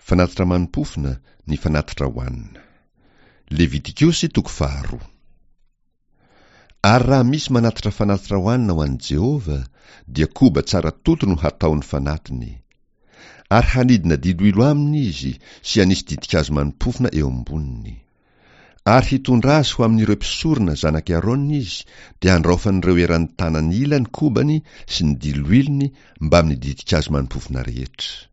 Fanatitra manim-pofona, ny fanatitra hohanina. Levitikosy toko faharoa. Ary raha misy manatitra fanatitra hohanina ho an'i Jehovah, dia koba tsara toto no hataony fanatiny. Ary hanidina diloilo aminy izy sy hanisy ditin-kazo manim-pofona eo amboniny. Ary hitondra azy ho amin'ireo mpisorona zanak'i Arona izy, dia handraofan'ireo eran'ny tanany ila ny kobany sy ny diloilony mbamin'ny ditin-kazo manim-pofona rehetra.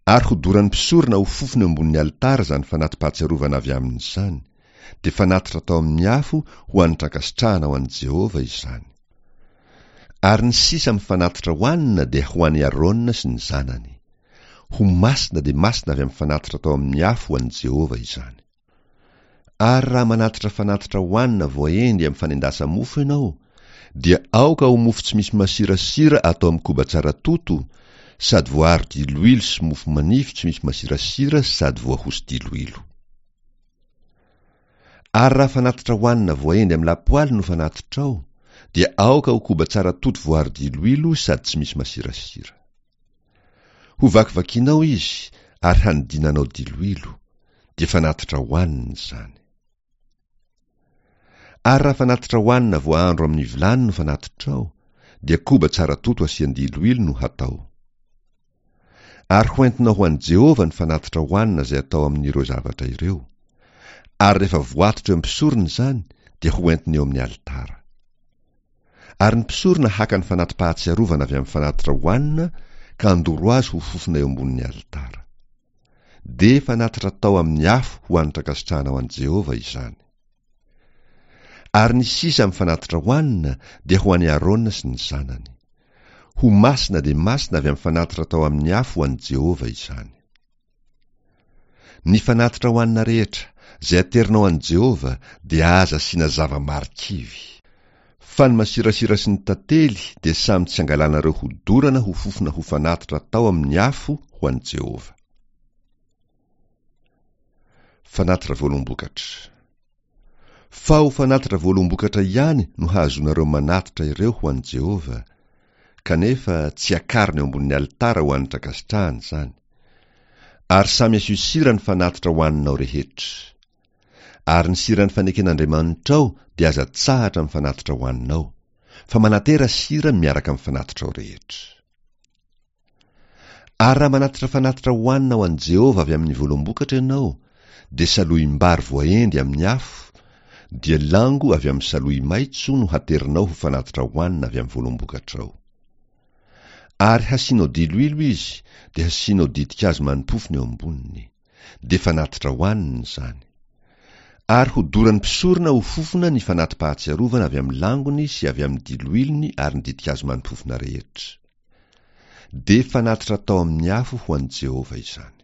Ary hodoran'ny mpisorona ho fofona eo ambonin'ny alitara izany fanati-pahatsiarovana avy aminy izany, dia fanatitra atao amin'ny afo ho hanitra ankasitrahana ho an'i Jehovah izany. Ary ny sisa amin'ny fanatitra hohanina dia ho an'i Arona sy ny zanany. Ho masina dia masina avy amin'ny fanatitra atao amin'ny afo ho an'i Jehovah izany. Ary raha manatitra fanatitra hohanina voaendy amin'ny fanendasa-mofo ianao, dia aoka ho mofo tsy misy masirasira atao amin'ny koba tsara toto, sady voaharo diloilo sy mofo manify tsy misy masirasira sady voahoso-diloilo. Ary raha fanatitra hohanina voaendy amin'ny lapoaly no fanatitrao, dia aoka ho koba tsara toto voaharo diloilo sady tsy misy masirasira. Hovakivakianao izy ary hanidinanao diloilo, dia fanatitra hohanina izany. Ary raha fanatitra hohanina voahandro amin'ny vilany no fanatitrao, dia koba tsara toto asian-diloilo no hatao. Ary hoentinao ho an'i Jehovah ny fanatitra hohanina izay atao amin'ireo zavatra ireo. Ary rehefa voatotra eo amin'ny mpisorona izany, dia hoentiny eo amin'ny alitara. Ary ny mpisorona haka ny fanati-pahatsiarovana avy amin'ny fanatitra hohanina ka handoro azy ho fofona eo ambonin'ny alitara. Dia fanatitra atao amin'ny afo ho hanitra ankasitrahana ho an'i Jehovah izany. Ary ny sisa amin'ny fanatitra hohanina dia ho an'i Arona sy ny zanany. Ho masina dia masina avy amin'ny fanatitra atao amin'ny afo ho an'i Jehovah izany. Ny fanatitra hohanina rehetra izay aterinao an'i Jehovah dia aza asiana zava-marikivy. Fa ny masirasira sy ny tantely dia samy tsy angalanareo hodorana ho fofona ho fanatitra atao amin'ny afo ho an'i Jehovah. Fanatitra voaloham-bokatra. Fa ho fanatitra voaloham-bokatra ihany no hahazoanareo manatitra ireo ho an'i Jehovah, kanefa tsy akarina eo ambonin'ny alitara ho hanitra ankasitrahana izany. Ary samy asio sira ny fanatitra hohaninao rehetra. Ary ny siran'ny faneken'Andriamanitrao dia aza atsahatra amin'ny fanatitra hohaninao, fa manatera sira miaraka amin'ny fanatitrao rehetra. Ary raha manatitra fanatitra hohanina ho an'i Jehovah avy amin'ny voaloham-bokatra ianao, dia salohim-bary voaendy amin'ny afo, dia lango avy amin'ny salohy maitso no haterinao ho fanatitra hohanina avy amin'ny voaloham-bokatrao. Ary hasianao diloilo izy, dia hasianao ditin-kazo manim-pofona eo amboniny. Dia fanatitra hohanina izany. Ary hodoran'ny mpisorona ho fofona ny fanati-pahatsiarovana avy amin'ny langony sy avy amin'ny diloilony ary ny ditin-kazo manim-pofona rehetra. Dia fanatitra atao amin'ny afo ho an'i Jehovah izany.